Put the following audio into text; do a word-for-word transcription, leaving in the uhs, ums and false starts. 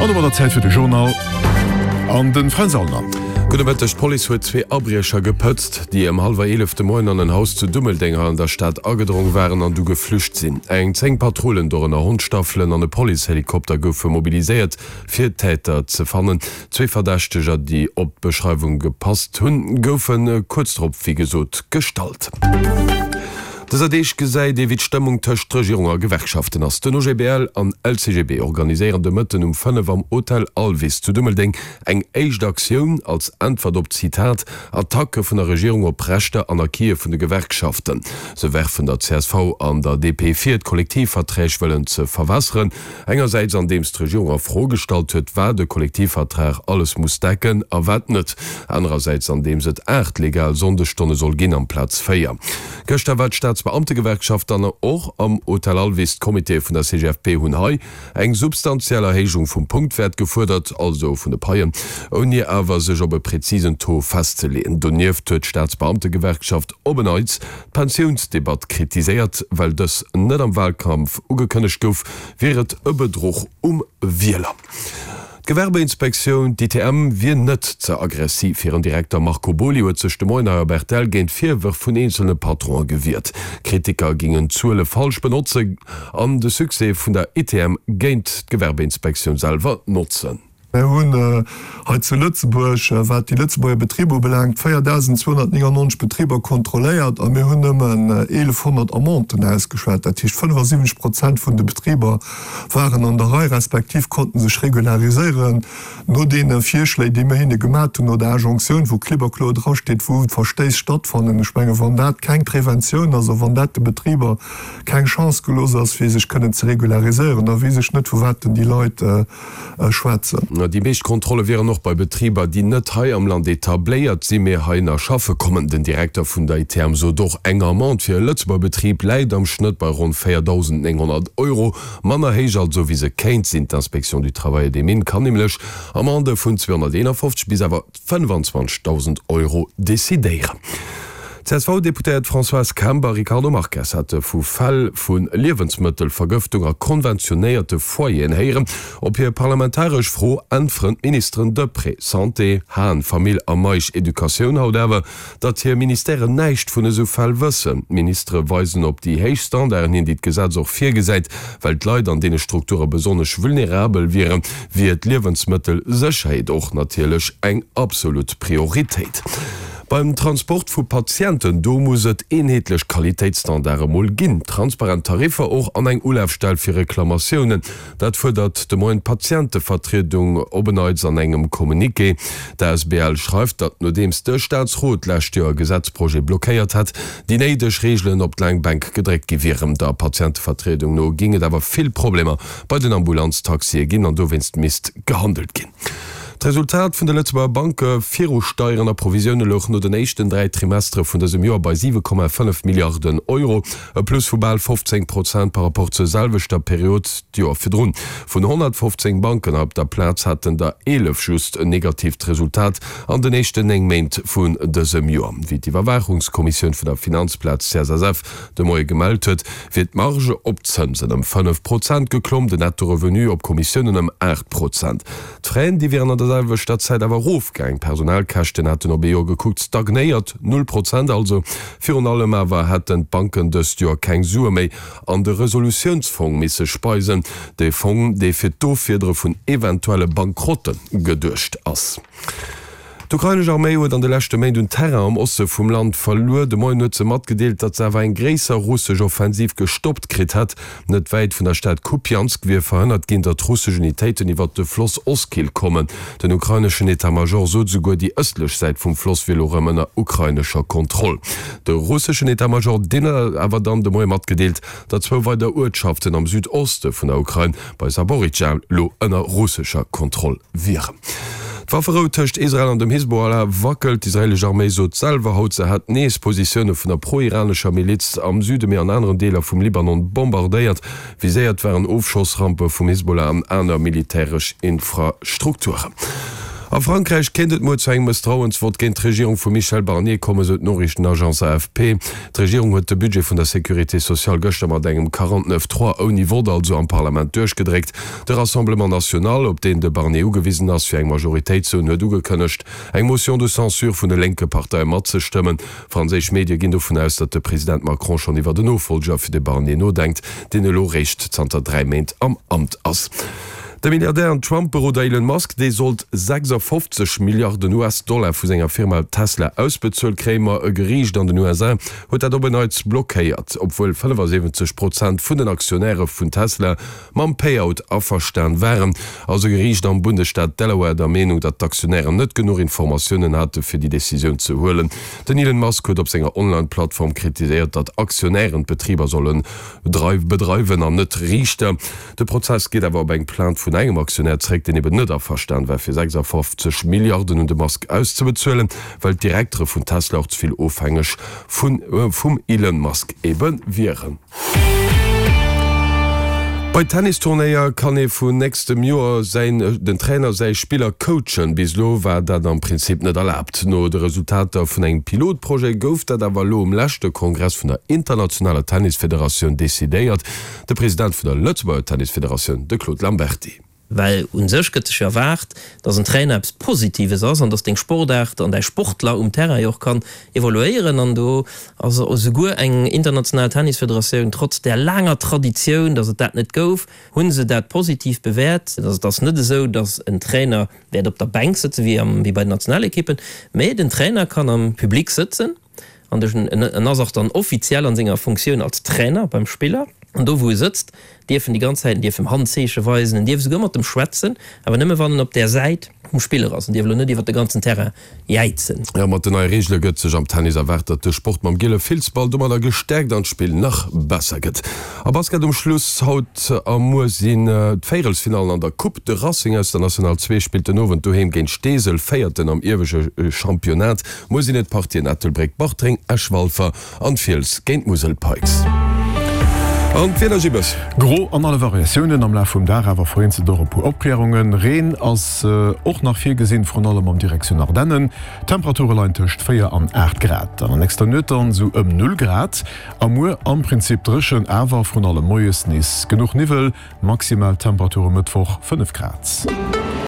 An domadder Zäit fir de Journal an de Fränz Aulner. Gudde Mëtteg, D'Police huet zwee Abriecher gepëtzt, déi ëm hallwer eelef de Moien an en Haus zu Dummeldeng hei an der Stad agedrong waren an du geflücht sinn. Eng zéng Patrullen, dorënner Hondstaffelen an e Policehelikopter goufe mobiliséiert, fir d'Täter ze fannen. Zwee Verdächteger, déi op d'Beschreiwung gepasst hunn, goufe kuerz drop, wéi gesot, gestallt. Dëser Deeg gesäit ee wéi d'Stëmmung tëscht Regierung a Gewerkschaften ass. Den O G B L an L C G B organiséieren de Mëtten um fënnef am Hotel Alvis zu Dummeldeng eng éischt Aktioun als Äntwert op, Zitat, Attacke vun der Regierung op Rechter an Acquise vun de Gewerkschaften. Se werfen der C S V an der D P vir, d'Kollektivverträg wëllen ze verwässeren. Engersäits andeems d'Regierung a Fro gestallt huet, wat e Kollektivvertrag alles muss decken a wat net. Anerersäits andeems et aacht legal Sonndesstonne soll ginn amplaz véier. Gëschter war d'Staatsbeamtegewerkschaft dann och am Hotel Alvis. D'Comitéë vun der C G F P hunn hei eng substantiell Erhéijung vum Punktwäert gefuerdert, also vun de Paien, ouni awer sech op e präzisen Taux festzeleeën. Donieft huet d'Staatsbeamtegewerkschaft op en Neits d'Pensiounsdebatt kritiséiert, well dës net am Walkampf ugekënnegt gouf, wier et e Bedruch um Wieler. D'Gewerbeinspektioun, d'I T M, wier net ze aggressiv. Hiren Direkter Marco Boly huet sech de Moien hei op R T L géint Virwërf vun eenzelne Patronen gewiert. Kritiker gingen Zuele falsch benotzen an de Succès vun der I T M géint d'Gewerbeinspektioun selwer notzen. Mir hunn hei zu Lëtzebuerg, wat déi Lëtzebuerger Betriber ubelaangt, véierdausenzweehonnertnéngannonzeg Betriber kontrolléiert a mir hunn nëmmen eelefhonnert Amenden ausgeschwat. Dat heescht, fënnefasiwwenzeg Prozent vun de Betriber waren an der Rei respektiv konnten sech regulariséieren no deene Virschléi, déi mir hinne gemaach hunn, no der Injonktioun, wou klipp a kloer drasteet, wou Verstéiss stattfannen. Ech mengen, wann dat keng Preventioun ass, also wann dat de Betriber keng Chance gelooss ass, fir sech kënnen ze regulariséieren, da weess ech net, vu wat denn déi Leit schwätzen. Déi meescht Kontrolle wieren och bei Betriber, déi net hei am Land etabléiert sinn, mee heihinner schaffe kommen. Den Direkter vun der I T M sot och, eng Amende fir e Lëtzebuerger Betrib läit am Schnëtt bei ronn véierdausendnénghonnert Euro, manner héich also wéi se kéint sinn. D'Inspection du Travail et des Mines kann nämlech Amendë vun zweehonnerteenafofzeg bis awer fënnefenzwanzegdausend Euro decidéieren. D'C S V-Deputéiert Françoise Kemp a Ricardo Marques hate vu Fäll vu Liewensmëttelvergëftung a konventionéierte Foyeren héieren. Op hir parlamentaresch Fro äntweren d'Ministeren Deprez, Santé, Hahn, Famill a Meisch, Educatioun haut awer, datt hir Ministèren näischt vun esou Fäll wëssen. D'Ministere weisen op déi héich Standarden hin, déi d'Gesetz och virgesäit. Well d'Leit an deene Strukture besonnesch vulnerabel wieren, wier d'Liewensmëttelsécherheet och natierlech eng absolut Prioritéit. Beim Transport vu Patienten, do muss et eenheetlech Qualitéitsstandarde mol ginn, transparent Tariffer och an eng Ulafstell fir Reklamatiounen. Dat fuerdert de Moien d'Patientevertriedung op en Neits an engem Communiqué. D'A S B L schreift, datt nodeems de Staatsrot d'lescht Joer e Gesetzprojet blockéiert hat, déi néideg Reegelen op d'laang Bänk gedréckt gi wieren. Der Patientevertriedung no géing et awer vill Problemer bei den Ambulanztaxie ginn an dowéinst misst gehandelt ginn. D'Resultat vun de Lëtzebuerger Banke viru Steieren a Provisioune louch no den éischten dräi Trimestere vun dësem Joer bei siwe Komma fënnef Milliarden Euro, e Plus vu bal fofzéng Prozent par rapport zur selwechter Period d'Joer virdrun. Vun honnertfofzéng Banken op der Plaz haten der eelef just en negatiivt Resultat an den éischten néng Méint vun dësem Joer. Wéi d'Iwwerwaachungskommissioun vun der Finanzplaz C S S F de Moie gemellt huet, wier d'Marge op Zënsen ëm fënnef Prozent geklomm, den Netto-Revenu op Kommissiounen ëm aacht Prozent. D'Fraisen, déi wieren an der selwechter Zäit awer erofgaang. D'Personalkäschten hätten op ee Joer gekuckt stagnéiert, null Prozent also. Virun allem awer hätten d'Banken dëst Joer keng Sue méi an de Resolutiounsfong misse speisen, de Fong, dee fir d'Offiedere vun eventuelle Bankrotte geduecht ass. D'ukrainesch Arméi huet an de leschte Méint un Terrain am Oste vum Land verluer. De Moien huet se matgedeelt, datt se awer eng gréisser russesch Offensiv gestoppt kritt hätt. Net wäit vun der Stad Kupjansk wier verhënnert ginn, datt russesch Unitéiten iwwer de Floss Oskil kommen. Den ukraineschen État-Major sot souguer, déi ëstlech Säit vum Floss wier elo rëm ënner ukrainescher Kontroll. De russeschen État-Major deen huet awer dann de Moie matgedeelt, datt zwou weider Uertschaften am Südoste vun der Ukrain bei Saporizhzhia lo ënner russescher Kontroll wieren. D'Wafferou tëscht Israel an dem Hisbollah wackelt. D'israeelesch Arméi sot selwer haut, se hätt nees Positioune vun der pro-iranescher Miliz am Süde mee an aneren Deeler vum Libanon bombardéiert. Viséiert waren Ofschossrampe vum Hisbollah an aner militäresch Infrastrukturen. A Frankräich kéint et muer zu engem Mësstrauensvott géint d'Regierung vum Michel Barnier kommen, esou d'Noriichtenagence A F P. D'Regierung huet de Budget vun der Sécurité sociale gëschter mat engem quarante-neuf trois, ouni Vott also, am Parlament duerchgedréckt. De Rassemblement national, op deen de Barnier ugewisen ass, fir eng Majoritéit ze hunn, huet ugekënnegt, eng Motion de censure vun de lénke Parteie matzestëmmen. Franséisch Medie ginn dovun aus, datt de President Macron schonn iwwert en Nofollger fir de Barnier nodenkt, deen elo réischt zanter dräi Méint am Amt ass. De Milliardär an Trump-Beroder Elon Musk, dee sollt sechsafofzeg Milliarden U S-Dollar vu senger Firma Tesla ausbezuelt kréien, ma e Geriicht an den U S A huet dat op en Neits blockéiert, obwuel fënnefasiwwenzeg Prozent vun den Aktionäre vun Tesla mam Payout averstan waren, ass e Geriicht am Bundesstaat Delaware der Meenung, datt d'Aktionären net genuch Informatiounen hate fir déi Decisioun ze huelen. Den Elon Musk huet op senger Online-Plattform kritiséiert, datt Aktionären d'Betriber solle bedreiwen an net Riichter. De Prozess geet awer op eng Plainte vun engem Aktionär zréck, deen eben net averstan war fir sechsafofzeg Milliarden un de Musk auszebezuelen, well d'Direktere vun Tesla och ze vill ofhängeg vum Elon Musk ebe wieren. Bei Tennisturnéier kann ee vun nächstem Joer säin den Trainer säi Spiller coachen. Bis elo war dat am Prinzip net erlaabt. No de Resultater vun engem Pilotprojet gouf dat awer elo um leschte Kongress vun der internationaler Tennisfederatioun decidéiert. De President vun der Lëtzebuerger Tennisfederatioun, de Claude Lamberty. Well u sech gëtt sech jo erwaart, dass en Trainer eppes Positives ass an dass deng Sportaart an däi Sportler um Terrain jo och kann evoluéieren. An do ass esouguer eng international Tennisfederatioun, trotz där laanger Traditioun, dass et dat net gouf, hu se dat positiv bewäert. Et ass net esou, dass en Trainer wäert op der Bänk sëtzen, wéi bei den Nationalekippen, mä den Trainer kann am Public sëtzen an en ass och dann offiziell an senger Funktioun als Trainer beim Spiller. An do wou e sëtzt, dierf en déi ganz Zäit, en dierf em Handzeeche weisen, en dierf esouguer mat em schwätzen, awer nëmme wann en op där Säit vum Spiller ass. En dierf elo net iwwer de ganzen Terrain jäizen. Jo, mat den neie Reegele gëtt sech am Tennis erwaart, datt de Sport mam giele Filzball domadder gestäerkt an d'Spill nach besser gëtt. A Basket um Schluss, Haut a muer sinn d'Véierelsfinallen an der Coupe. De Racing aus der National zwee spillt den Owend doheem géint Steesel, Véierten am iewesche Championnat. Muer sinn et d'Partien Ettelbréck, Bartreng, Esch, Walfer an d'Fiels géint d'Musel Pikes. An d'Wieder, Gibbes. Gro an alle Variatiounen, am Laf vum Dag awer vereenzelt och e puer Opklärungen. Reen ass och nach virgesinn, vrun allem an Direktioun Ardennen. D'Temperature leien tëscht véier an aacht Grad. An der nächster Nuet dann esou ëm null Grad a muer am Prinzip dréchen, awer vrun allem moies nees genuch Niwwel. Maximal Temperature Mëttwoch fënnef Grad.